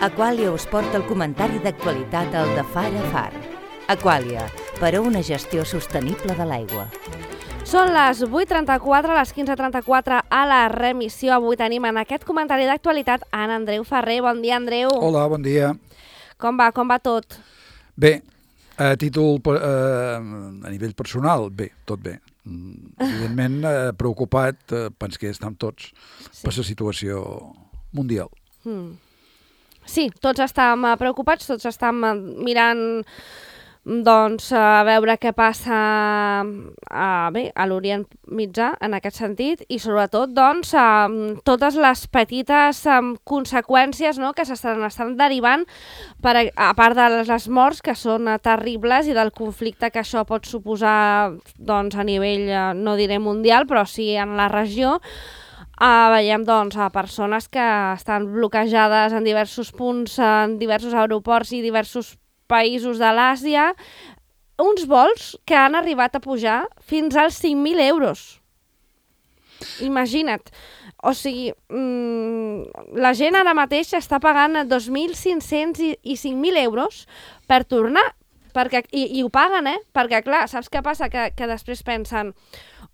Aqualia us porta el comentari d'actualitat al de Far a Far. Aqualia, per a una gestió sostenible de l'aigua. Són les 8:34, les 15:34 a la remissió. Avui tenim en aquest comentari d'actualitat en Andreu Ferrer. Bon dia, Andreu. Hola, bon dia. Com va tot? Bé, a nivell personal, bé, tot bé. Evidentment, preocupat, penso que estem tots per la situació mundial. Sí, tots estem preocupats, tots estem mirant doncs, a veure què passa a l'Orient Mitjà en aquest sentit i sobretot doncs, totes les petites conseqüències, no?, que s'estan derivant a part de les morts que són terribles i del conflicte que això pot suposar doncs, a nivell, no diré mundial, però sí en la regió. Veiem doncs, a persones que estan bloquejades en diversos punts, en diversos aeroports i diversos països de l'Àsia, uns vols que han arribat a pujar fins als 5.000 euros. Imagina't. O sigui, la gent ara mateix està pagant 2.500 i 5.000 euros per tornar, i ho paguen, perquè clar, saps què passa? Que després pensen,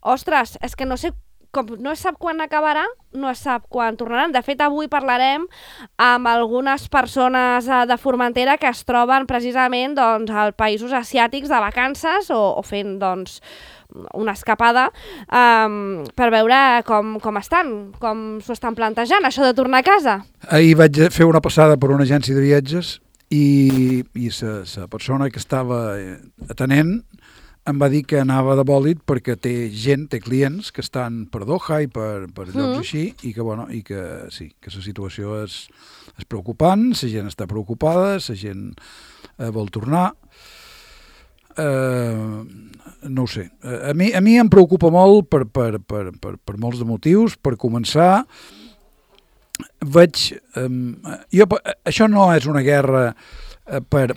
ostres, és que no sé, com no es sap quan acabarà, no es sap quan tornaran. De fet, avui parlarem amb algunes persones de Formentera que es troben precisament doncs, als països asiàtics de vacances o fent doncs, una escapada per veure com estan, com s'ho estan plantejant, això de tornar a casa. Ahir vaig fer una passada per una agència de viatges i la persona que estava atenent em va dir que anava de bòlit perquè té clients que estan per Doha i per llocs així i que sí, que la situació és preocupant, la gent està preocupada, la gent vol tornar. No ho sé. A mi em preocupa molt per molts de motius. Per començar, això no és una guerra per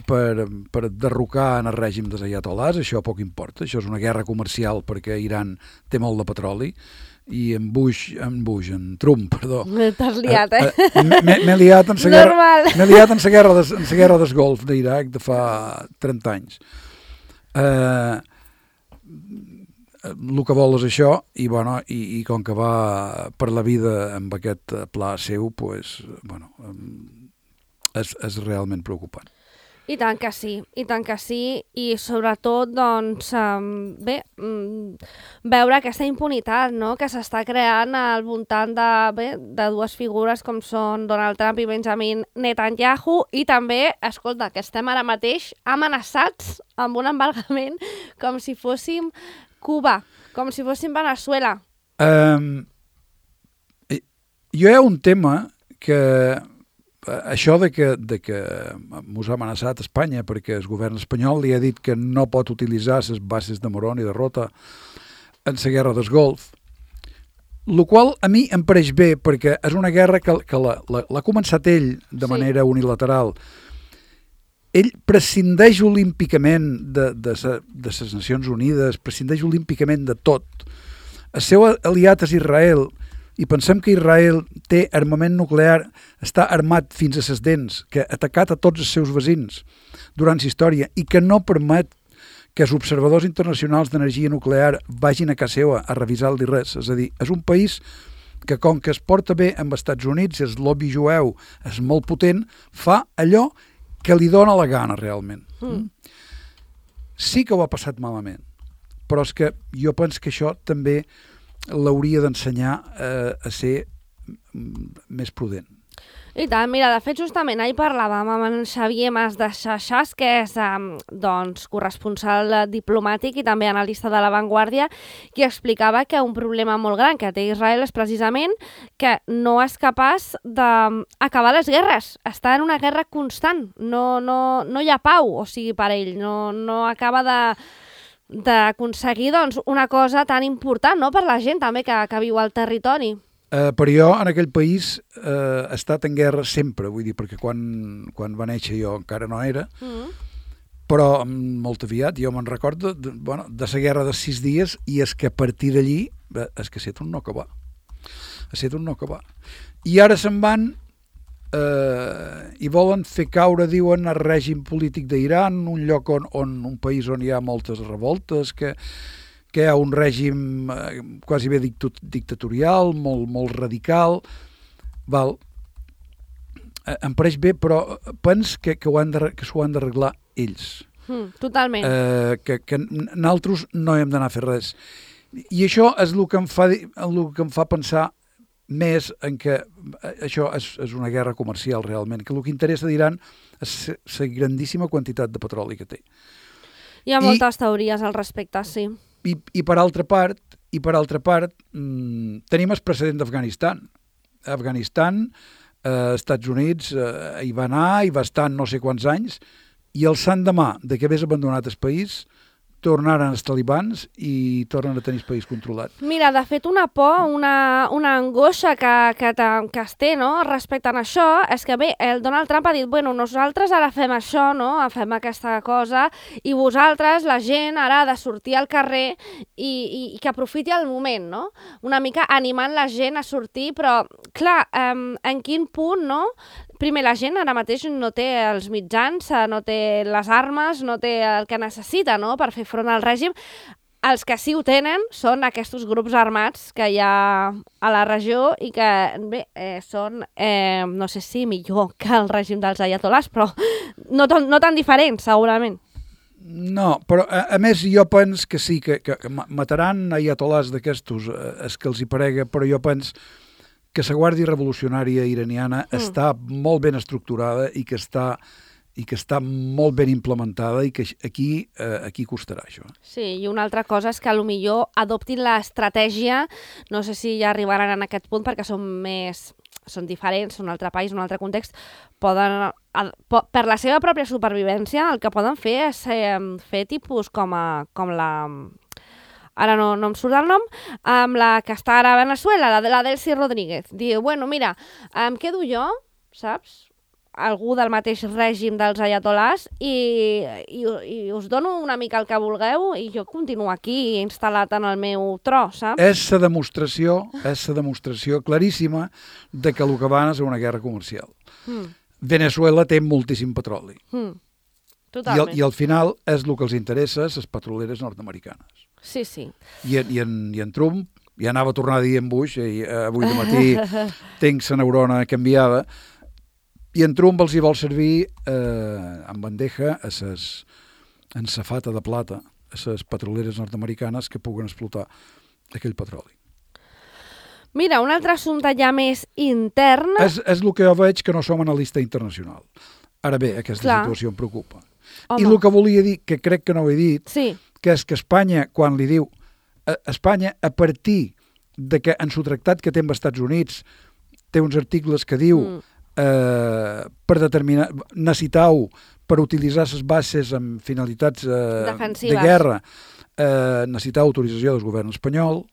derrocar en el règim dels aiatolars, això poc importa, això és una guerra comercial perquè Iran té molt de petroli i en Trump, perdó. T'has liat, M'he liat en la guerra del Golf d'Iraq de fa 30 anys. El que vol és això i com que va per la vida amb aquest pla seu, és realment preocupant. I tant que sí, i sobretot, doncs, veure aquesta impunitat, no?, que s'està creant al voltant de dues figures com són Donald Trump i Benjamin Netanyahu, i també, escolta, que estem ara mateix amenaçats amb un embargament com si fóssim Cuba, com si fóssim Venezuela. Hi ha un tema que això de que mos ha amenaçat Espanya perquè el govern espanyol li ha dit que no pot utilitzar les bases de Morón i de Rota en la guerra del Golf, el qual a mi em pareix bé perquè és una guerra que l'ha començat ell de manera unilateral. Ell prescindeix olímpicament de les Nacions Unides, prescindeix olímpicament de tot. El seu aliat és Israel, i pensem que Israel té armament nuclear, està armat fins a les dents, que ha atacat a tots els seus veïns durant la història i que no permet que els observadors internacionals d'energia nuclear vagin a casa seva a revisar-li res. És a dir, és un país que com que es porta bé amb els Estats Units, el lobby jueu és molt potent, fa allò que li dona la gana realment. Sí que ho ha passat malament, però és que jo penso que això també l'hauria d'ensenyar a ser més prudent. I tant, mira, de fet, justament ahir parlàvem amb en Xavier Mas de Xaxàs, que és corresponsal diplomàtic i també analista de La Vanguardia, qui explicava que un problema molt gran que té Israel és precisament que no és capaç d'acabar les guerres. Està en una guerra constant, no hi ha pau, o sigui, per ell, no acaba d'aconseguir doncs, una cosa tan important, no?, per la gent també que viu al territori. Però jo en aquell país he estat en guerra sempre, vull dir, perquè quan va néixer jo encara no era, però molt aviat jo me'n recordo de la guerra de 6 dies i és que a partir d'allí és que ha estat un no acabar. I ara se'n van i volen fer caure, diuen, el règim polític d'Iran, un lloc un país on hi ha moltes revoltes, que hi ha un règim quasi bé dictatorial, molt radical. Val. Em pareix bé, però pens que s'ho han d'arreglar ells. Totalment. Que nosaltres no hem d'anar a fer res. I això és el que em fa pensar més en que això és una guerra comercial realment, que el que interessa d'Iran és la grandíssima quantitat de petroli que té. Hi ha moltes teories al respecte, sí. I per altra part, tenim el precedent d'Afganistan. Afganistan, Estats Units hi va anar, hi va estar no sé quants anys, i el sant demà de que hagués abandonat el país, tornaren els talibans i tornen a tenir el país controlat. Mira, de fet, una por, una angoixa que es té, no?, respecte a això, és que bé, el Donald Trump ha dit, bueno, nosaltres ara fem això, no?, fem aquesta cosa, i vosaltres, la gent, ara ha de sortir al carrer i que aprofiti el moment, no?, una mica animant la gent a sortir, però, clar, en quin punt, no?, primer, la gent ara mateix no té els mitjans, no té les armes, no té el que necessita, no?, per fer front al règim. Els que sí ho tenen són aquests grups armats que hi ha a la regió i que, bé, són, no sé si millor que el règim dels ayatolás, però no tan diferents, segurament. No, però a més jo penso que sí, que mataran ayatolás d'aquestos, és que els hi parega, però jo penso que la Guàrdia Revolucionària iraniana està molt ben estructurada i que està molt ben implementada i que aquí costarà això. Sí, i una altra cosa és que potser adoptin l'estratègia, no sé si ja arribaran en aquest punt perquè són diferents, un altre país, un altre context, per la seva pròpia supervivència el que poden fer és fer tipus com la... Ara no em surt el nom, amb la que està ara a Venezuela, la Delcy Rodríguez. Diu, bueno, mira, em quedo jo, saps?, algú del mateix règim dels ayatolás i us dono una mica el que vulgueu i jo continuo aquí instal·lat en el meu tro, saps? És la demostració claríssima de que el que van és una guerra comercial. Venezuela té moltíssim petroli. Totalment. I al final és el que els interessa, les petroleres nord-americanes. Sí, sí. I en Trump, ja anava a tornar a dir en Bush, i avui de matí tinc la neurona canviada, i en Trump els hi vol servir en bandeja en safata de plata a les petroleres nord-americanes que puguen explotar aquell petroli. Mira, un altre assumpte ja més intern... És el que jo veig que no som analista internacional. Ara bé, aquesta situació em preocupa. Home. I el que volia dir, que crec que no ho he dit, sí, que és que Espanya, quan li diu... Espanya, a partir de que en su tractat que té amb els Estats Units, té uns articles que diu per determinar, necessitau per utilitzar les bases amb finalitats de guerra, necessitau autorització del govern espanyol.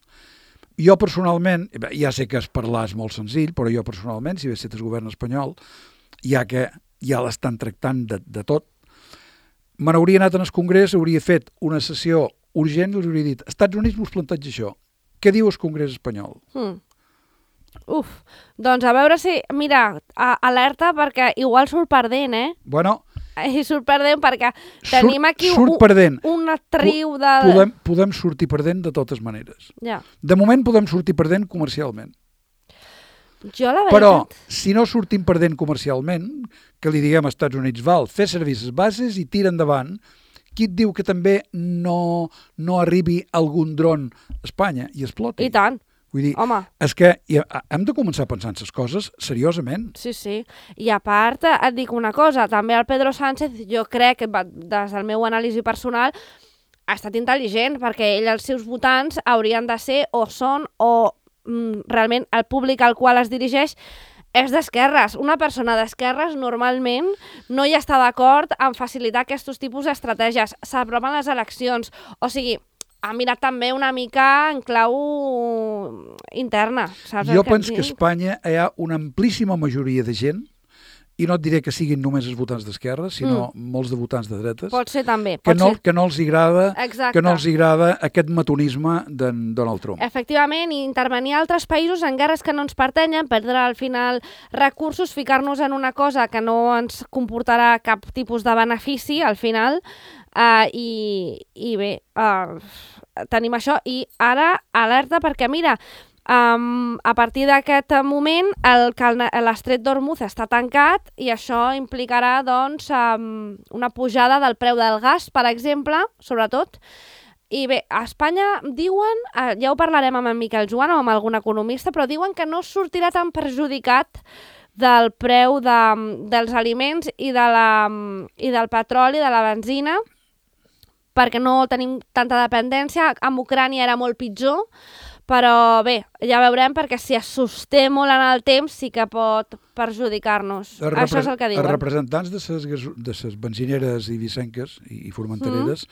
Jo personalment, ja sé que es parlar és molt senzill, però jo personalment, si hagués estat el govern espanyol, ja que ja l'estan tractant de tot, me n'hauria anat en el Congrés, hauria fet una sessió urgent i els hauria dit, Estats Units vos planteja això. Què diu el Congrés espanyol? Uf, doncs a veure si... Mira, alerta perquè igual surt perdent, Bueno... I surt perdent perquè tenim aquí una triu de... Podem sortir perdent de totes maneres. Ja. De moment podem sortir perdent comercialment. Jo la veritat... Però, si no sortim perdent comercialment, que li diguem als Estats Units, val, fer servir les bases i tira endavant, qui et diu que també no arribi algun dron a Espanya i exploti? I tant. Vull dir, home, és que hem de començar a pensar en les coses seriosament. Sí, sí. I a part, et dic una cosa, també el Pedro Sánchez, jo crec que des del meu anàlisi personal, ha estat intel·ligent, perquè ell, els seus votants, haurien de ser o són o realment el públic al qual es dirigeix és d'esquerres. Una persona d'esquerres normalment no hi està d'acord en facilitar aquests tipus d'estratègies. S'aproven les eleccions. O sigui, ha mirat també una mica en clau interna. Saps jo penso que a Espanya hi ha una amplíssima majoria de gent i no et diré que siguin només els votants d'esquerra, sinó molts de votants de dretes, Pot ser també. que no els agrada Exacte. que no els agrada aquest metonisme d'en Donald Trump. Efectivament, i intervenir a altres països en guerres que no ens pertanyen, perdre al final recursos, ficar-nos en una cosa que no ens comportarà cap tipus de benefici al final, i bé, tenim això. I ara, alerta, perquè mira, a partir d'aquest moment l'estret d'Hormuz està tancat i això implicarà doncs, una pujada del preu del gas, per exemple, sobretot. I bé, a Espanya diuen, ja ho parlarem amb en Miquel Joan o amb algun economista, però diuen que no sortirà tan perjudicat del preu dels aliments i del petroli, de la benzina, perquè no tenim tanta dependència. Amb Ucrània era molt pitjor, però bé, ja veurem, perquè si es sosté molt en el temps sí que pot perjudicar-nos. Això és el que diuen. Els representants de les benzineres i vicenques i formentereres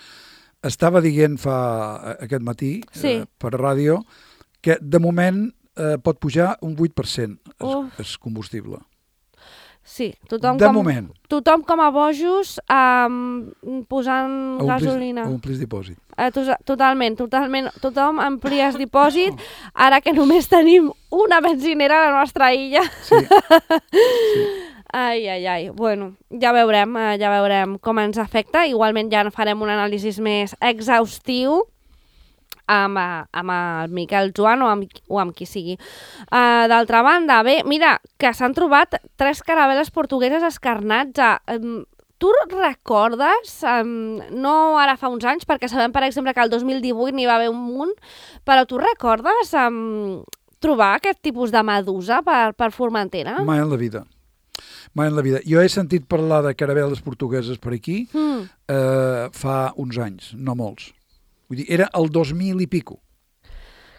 estava dient aquest matí per ràdio que de moment pot pujar un 8% el combustible. Sí, tothom com a bojos posant gasolina. A omplis dipòsit. Totalment. Tothom amplies dipòsit, ara que només tenim una benzinera a la nostra illa. Sí. Ai. Bueno, ja veurem com ens afecta. Igualment ja farem un anàlisi més exhaustiu amb el Miquel Joan o amb qui sigui. D'altra banda, bé, mira, que s'han trobat 3 caravel·les portugueses escarnats. Tu recordes, no ara fa uns anys, perquè sabem, per exemple, que el 2018 n'hi va haver un munt, però tu recordes trobar aquest tipus de medusa per Formentera? Mai en la vida. Jo he sentit parlar de caravel·les portugueses per aquí fa uns anys, no molts. Vull dir, era el 2000 i pico.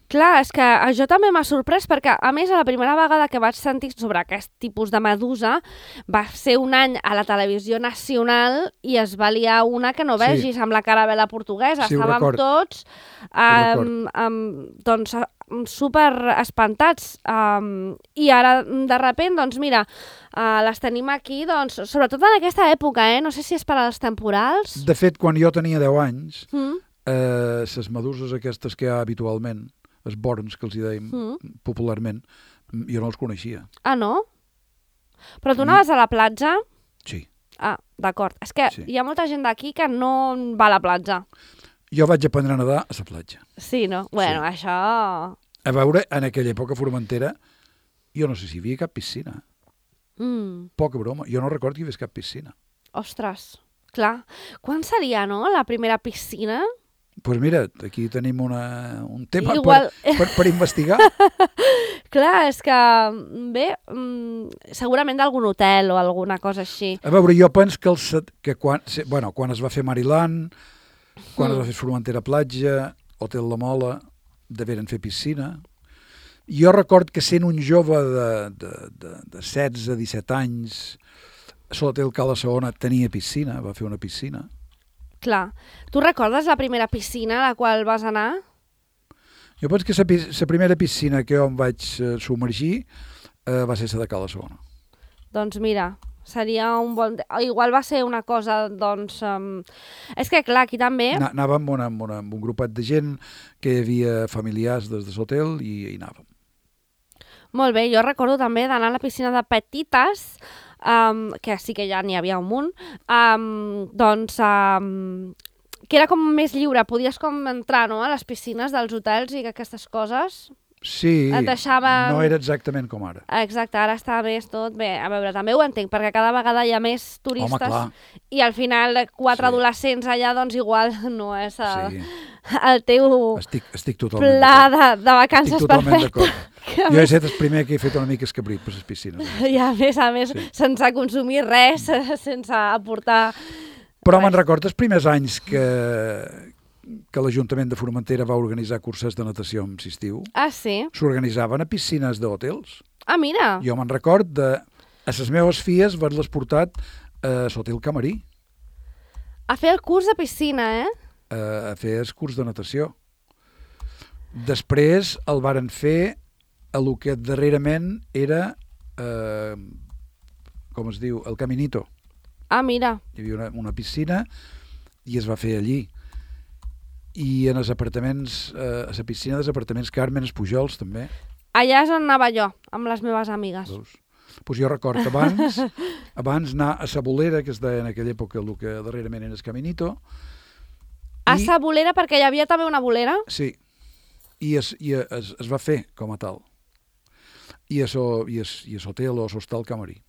Clar, és que això també m'ha sorprès, perquè a més la primera vegada que vaig sentir sobre aquest tipus de medusa va ser un any a la televisió nacional i es va liar una que no vegis amb la caravel·la portuguesa. Estàvem tots doncs, super espantats. I ara, de sobte, doncs mira, les tenim aquí, doncs, sobretot en aquesta època, no sé si és per als temporals. De fet, quan jo tenia 10 anys, les meduses aquestes que hi ha habitualment, els borns que els hi dèiem popularment, jo no els coneixia. Ah, no? Però tu anaves a la platja? Sí. Ah, d'acord. És que hi ha molta gent d'aquí que no va a la platja. Jo vaig aprendre a nedar a la platja. Sí, no? Bueno, això... A veure, en aquella època a Formentera, jo no sé si hi havia cap piscina. Poca broma. Jo no recordo que hi hagués cap piscina. Ostres, clar. Quan seria, no?, la primera piscina? Doncs mira, aquí tenim un tema per investigar. Clar, és que, bé, segurament d'algun hotel o alguna cosa així. A veure, jo penso que quan es va fer Mariland, quan es va fer Formentera Platja, Hotel La Mola, deveren fer piscina. Jo record que sent un jove de 16-17 anys, l'Hotel Cala Saona tenia piscina, va fer una piscina. Clar. Tu recordes la primera piscina a la qual vas anar? Jo penso que la primera piscina que jo em vaig submergir va ser la de Cala Saona. Doncs mira, seria un bon... Igual va ser una cosa, doncs... És que, clar, aquí també... Anàvem amb un grupet de gent que hi havia familiars des de l'hotel i hi anàvem. Molt bé, jo recordo també d'anar a la piscina de Petites, que sí que ja n'hi havia un munt, doncs, que era com més lliure, podies com entrar, no?, a les piscines dels hotels i aquestes coses. Sí, deixaven... no era exactament com ara. Exacte, ara està més tot bé. A veure, també ho entenc, perquè cada vegada hi ha més turistes i al final 4 adolescents allà, doncs igual no és el teu estic pla de vacances perfecte. Jo he estat el primer que he fet una mica escabrit per les piscines. I a més, sense consumir res, sense aportar... Però me'n recordo els primers anys que l'Ajuntament de Formentera va organitzar curses de natació en estiu. Ah, sí? S'organitzaven a piscines d'hotels. Ah, mira! Jo me'n record a les meves filles haver-les portat a l'Hotel Camarí. A fer el curs de piscina, A fer el curs de natació. Després el varen fer a lo que darrerament era com es diu, el Caminito. Ah, mira. Hi havia una piscina i es va fer allí. I en els apartaments, a la piscina dels apartaments Carmen Espujols, també. Allà és on anava jo, amb les meves amigues. Pues jo recordo abans anar a la Bolera, que es deia en aquella època el que darrerament era el Caminito. A la bolera, perquè hi havia també una bolera? Sí, i es va fer com a tal. I a l'hotel o l'hostal Camarí.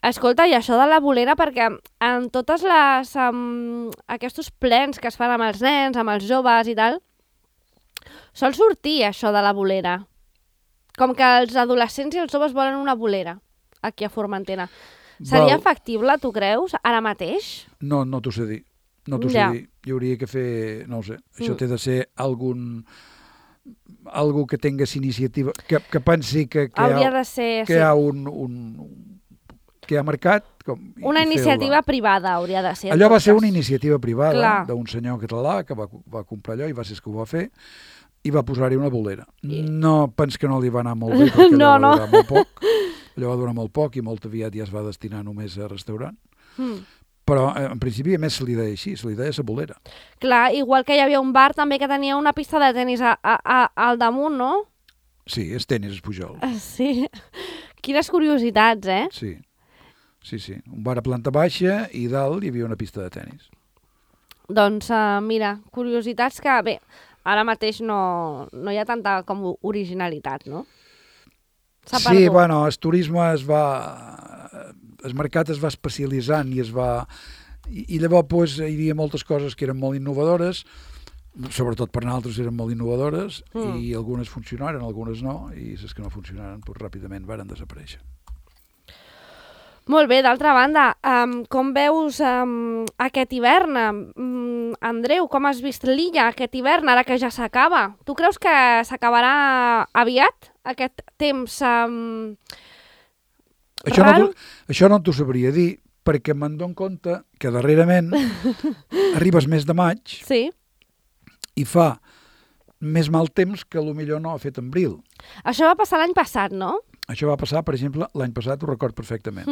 Escolta, i això de la bolera, perquè en totes les aquests plens que es fan amb els nens, amb els joves i tal, sol sortir això de la bolera. Com que els adolescents i els joves volen una bolera aquí a Formentera. Seria factible, tu creus, ara mateix? No t'ho sé dir. No t'ho sé dir. Hi hauria que fer, no ho sé, això té de ser algú que tingués iniciativa, que pensi que hi ha que ha marcat... Una iniciativa privada hauria de ser. Allò va ser una iniciativa privada d'un senyor català que va comprar allò i va ser el que ho va fer i va posar-hi una bolera. No pens que no li va anar molt bé perquè allò va durar molt poc. Allò va durar molt poc i molt aviat ja es va destinar només a restaurant. Però en principi a més se li deia així, se li deia la bolera. Clar, igual que hi havia un bar també que tenia una pista de tenis al damunt, no? Sí, és tenis Espujol. Sí. Quines curiositats, eh? Sí. Un bar a planta baixa i dalt hi havia una pista de tenis. Doncs mira, curiositats que, bé, ara mateix no hi ha tanta com originalitat, no? Sí, bueno, el turisme el mercat es va especialitzant i llavors pues, hi havia moltes coses que eren molt innovadores, sobretot per nosaltres eren molt innovadores i algunes funcionaren, algunes no, i les que no funcionaren pues, ràpidament varen desaparèixer. Molt bé, d'altra banda, com veus aquest hivern? Andreu, com has vist l'illa aquest hivern, ara que ja s'acaba? Tu creus que s'acabarà aviat, aquest temps Això no t'ho sabria dir, perquè me'n dono compte que darrerament arribes mes de maig i fa més mal temps que potser no ha fet en abril. Això va passar l'any passat, no? Això va passar, per exemple, l'any passat, ho record perfectament.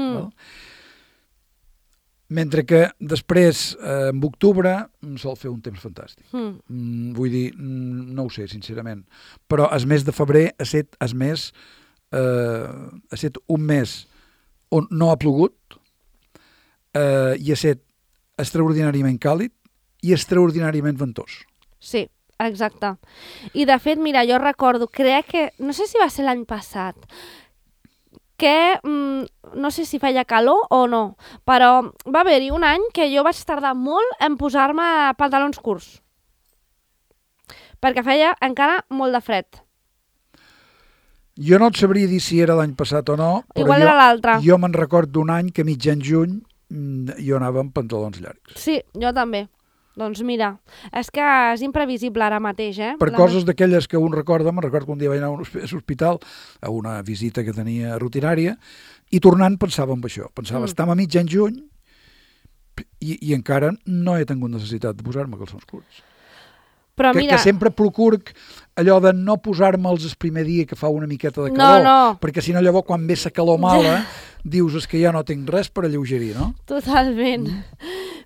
Mentre que després, en octubre, sol fer un temps fantàstic. Vull dir, no ho sé, sincerament. Però el mes de febrer ha estat un mes on no ha plogut i ha estat extraordinàriament càlid i extraordinàriament ventós. Sí, exacte. I de fet, mira, jo recordo, crec que, no sé si va ser l'any passat, que no sé si feia calor o no, però va haver-hi un any que jo vaig tardar molt en posar-me pantalons curts, perquè feia encara molt de fred. Jo no et sabria dir si era l'any passat o no, però igual era l'altre. Jo me'n record d'un any que mitjan juny jo anava amb pantalons llargs. Sí, jo també. Doncs mira, és que és imprevisible ara mateix, eh? Per coses d'aquelles que un recorda, me'n recordo que un dia vaig anar a l'hospital a una visita que tenia rutinària i tornant pensava en això. Pensava, estem a mitjan juny i encara no he tingut necessitat de posar-me calçons curts. Però mira... Que sempre procuro allò de no posar-me'ls el primer dia que fa una miqueta de calor, perquè si no llavors quan ve la calor mala dius és que ja no tinc res per alleugerir, no? Totalment.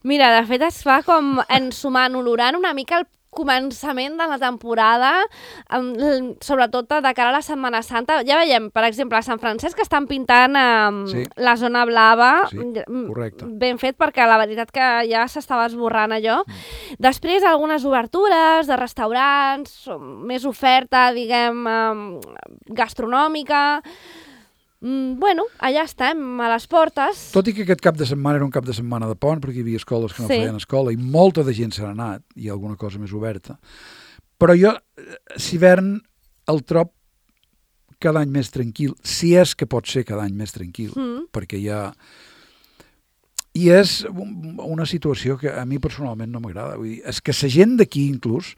Mira, de fet es fa com ensumant, olorant una mica el començament de la temporada, sobretot de cara a la Setmana Santa. Ja veiem, per exemple, a Sant Francesc que estan pintant la zona blava, ben fet, perquè la veritat que ja s'estava esborrant allò. Després, algunes obertures de restaurants, més oferta, diguem, gastronòmica. Bueno, allà estem, a les portes. Tot i que aquest cap de setmana era un cap de setmana de pont, perquè hi havia escoles que no feien escola, i molta de gent s'ha anat, i alguna cosa més oberta. Però jo, l'hivern, el trob cada any més tranquil, si és que pot ser cada any més tranquil, perquè hi ha... I és una situació que a mi personalment no m'agrada. Vull dir, és que la gent d'aquí, inclús,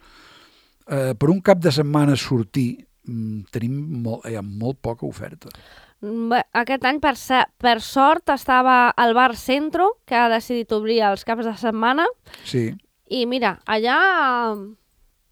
per un cap de setmana sortir, hi ha molt poca oferta. Aquest any, per sort, estava al Bar Centro, que ha decidit obrir els caps de setmana. Sí. I mira, allà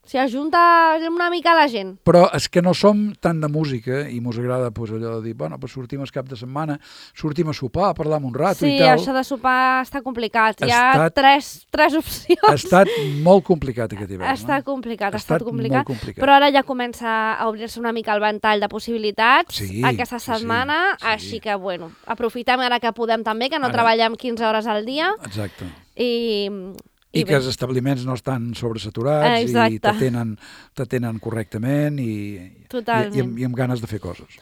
S'hi ajunta una mica la gent. Però és que no som tant de música i mos agrada allò de dir, bueno, pues sortim el cap de setmana, sortim a sopar, a parlar un rato i tal. Sí, això de sopar està complicat. Hi ha tres opcions. Ha estat molt complicat aquest hivern. Ha estat complicat. Molt complicat. Però ara ja comença a obrir-se una mica el ventall de possibilitats aquesta setmana, així que, bueno, aprofitem ara que podem també, que no treballem 15 hores al dia. Exacte. I que els establiments no estan sobresaturats i t'atenen correctament i amb ganes de fer coses.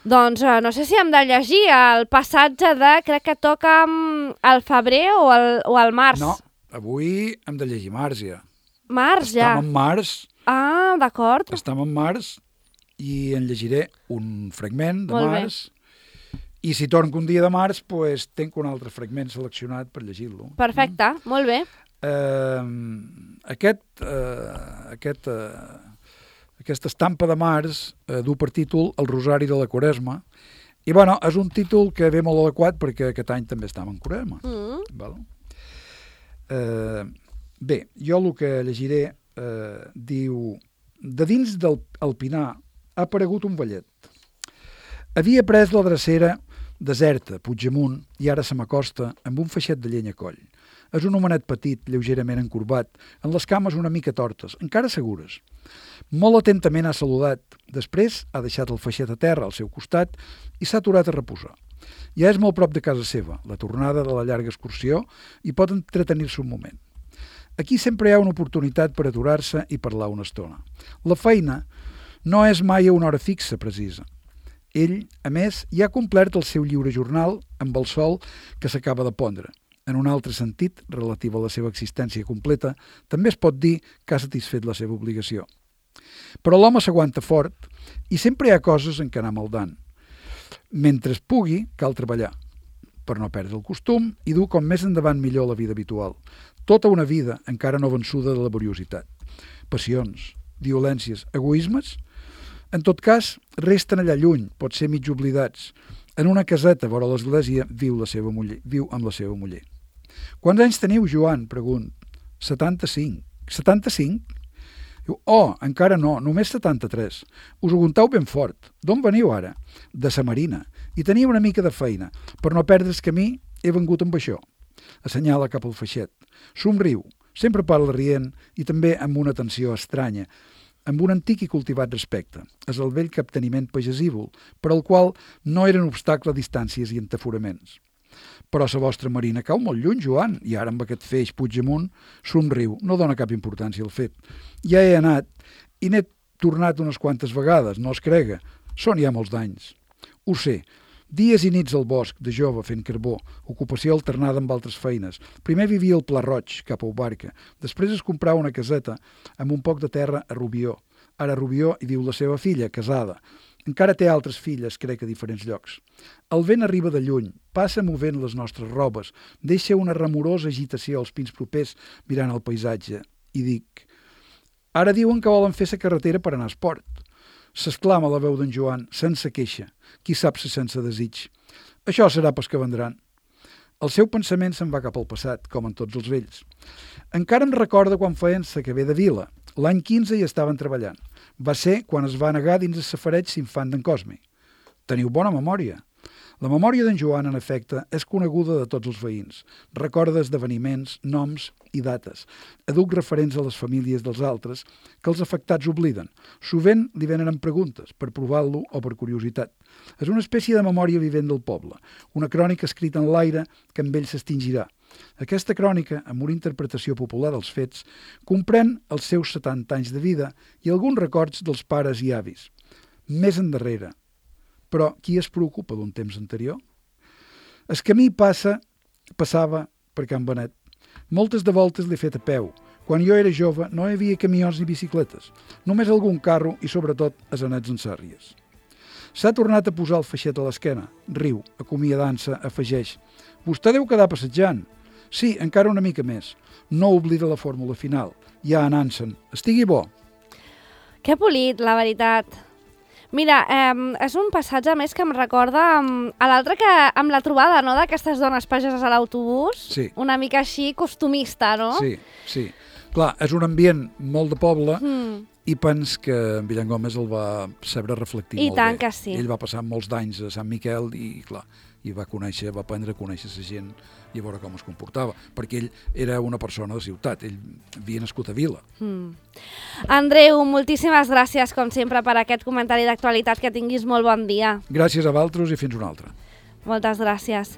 Doncs no sé si hem de llegir el passatge de, crec que toca al febrer o al març. No, avui hem de llegir març ja. Març ja? Estem en març. Ah, d'acord. Estem en març i en llegiré un fragment de març. I si torno un dia de març, doncs tenc un altre fragment seleccionat per llegir-lo. Perfecte, molt bé. Aquesta estampa de març du per títol El Rosari de la Quaresma i bueno, és un títol que ve molt adequat perquè aquest any també estem en Quaresma. Bé, jo el que llegiré diu: de dins del Pinar ha aparegut un vellet. Havia pres la drecera deserta, Puigdemunt, i ara se m'acosta amb un feixet de llenya a coll. És un homenet petit, lleugerament encorbat, amb les cames una mica tortes, encara segures. Molt atentament ha saludat. Després ha deixat el feixet a terra al seu costat i s'ha aturat a reposar. Ja és molt prop de casa seva, la tornada de la llarga excursió, i pot entretenir-se un moment. Aquí sempre hi ha una oportunitat per aturar-se i parlar una estona. La feina no és mai a una hora fixa precisa. Ell, a més, ja ha complert el seu lliure jornal amb el sol que s'acaba de pondre. En un altre sentit, relatiu a la seva existència completa, també es pot dir que ha satisfet la seva obligació. Però l'home s'aguanta fort i sempre hi ha coses en què anar maldant. Mentre es pugui, cal treballar, per no perdre el costum i dur com més endavant millor la vida habitual. Tota una vida encara no vençuda de laboriositat. Passions, violències, egoismes? En tot cas, resten allà lluny, pot ser mig oblidats. En una caseta vora l'església viu amb la seva muller. Quants anys teniu, Joan? Pregunt. 75. 75? Diu, oh, encara no, només 73. Us ho contau ben fort. D'on veniu ara? De sa Marina. I tenia una mica de feina. Per no perdre's camí, he vengut amb això. Assenyala cap al feixet. Somriu. Sempre parla rient i també amb una atenció estranya, amb un antic i cultivat respecte. És el vell capteniment pagesívol, per al qual no eren obstacle distàncies i entaforaments. Però la vostra Marina cau molt lluny, Joan, i ara amb aquest feix Puigdemunt somriu, no dona cap importància al fet. Ja he anat i n'he tornat unes quantes vegades, no es crega, són ja molts d'anys. Ho sé, dies i nits al bosc, de jove, fent carbó, ocupació alternada amb altres feines. Primer vivia al Pla Roig, cap a Ubarca, després es comprava una caseta amb un poc de terra a Rubió. Ara a Rubió hi viu la seva filla, casada. Encara té altres filles, crec, a diferents llocs. El vent arriba de lluny, passa movent les nostres robes, deixa una remorosa agitació als pins propers mirant el paisatge. I dic, ara diuen que volen fer la carretera per anar a esport. S'exclama la veu d'en Joan, sense queixa, qui sap si sense desig. Això serà pels que vendran. El seu pensament se'n va cap al passat, com en tots els vells. Encara em recorda quan feien la que ve de Vila. L'any 15 hi estaven treballant. Va ser quan es va negar dins el safareig s'infant d'en Cosme. Teniu bona memòria. La memòria d'en Joan, en efecte, és coneguda de tots els veïns. Recorda esdeveniments, noms i dates. Aduc referents a les famílies dels altres que els afectats obliden. Sovint li venen amb preguntes, per provar-lo o per curiositat. És una espècie de memòria vivent del poble, una crònica escrita en l'aire que amb ell s'extingirà. Aquesta crònica, amb una interpretació popular dels fets, comprèn els seus 70 anys de vida i alguns records dels pares i avis. Més endarrere. Però qui es preocupa d'un temps anterior? El camí passava per Can Benet. Moltes de voltes l'he fet a peu. Quan jo era jove no hi havia camions ni bicicletes, només algun carro i sobretot asenets en sàrries. S'ha tornat a posar el feixet a l'esquena. Riu, acomiadant-se, afegeix. Vostè deu quedar passejant. Sí, encara una mica més. No oblida la fórmula final. Ja anant-se'n. Estigui bo. Que polit, la veritat. Mira, és un passatge més que em recorda a l'altre que amb la trobada, no?, d'aquestes dones pageses a l'autobús. Sí. Una mica així costumista, no? Sí, sí. Clar, és un ambient molt de poble i pens que en Villan Gómez el va saber reflectir molt bé. I tant que sí. Ell va passar molts d'anys a Sant Miquel i, clar, va aprendre a conèixer la gent i a veure com es comportava, perquè ell era una persona de ciutat, ell havia nascut a Vila. Andreu, moltíssimes gràcies, com sempre, per aquest comentari d'actualitat. Que tinguis molt bon dia. Gràcies a vosaltres i fins una altra. Moltes gràcies.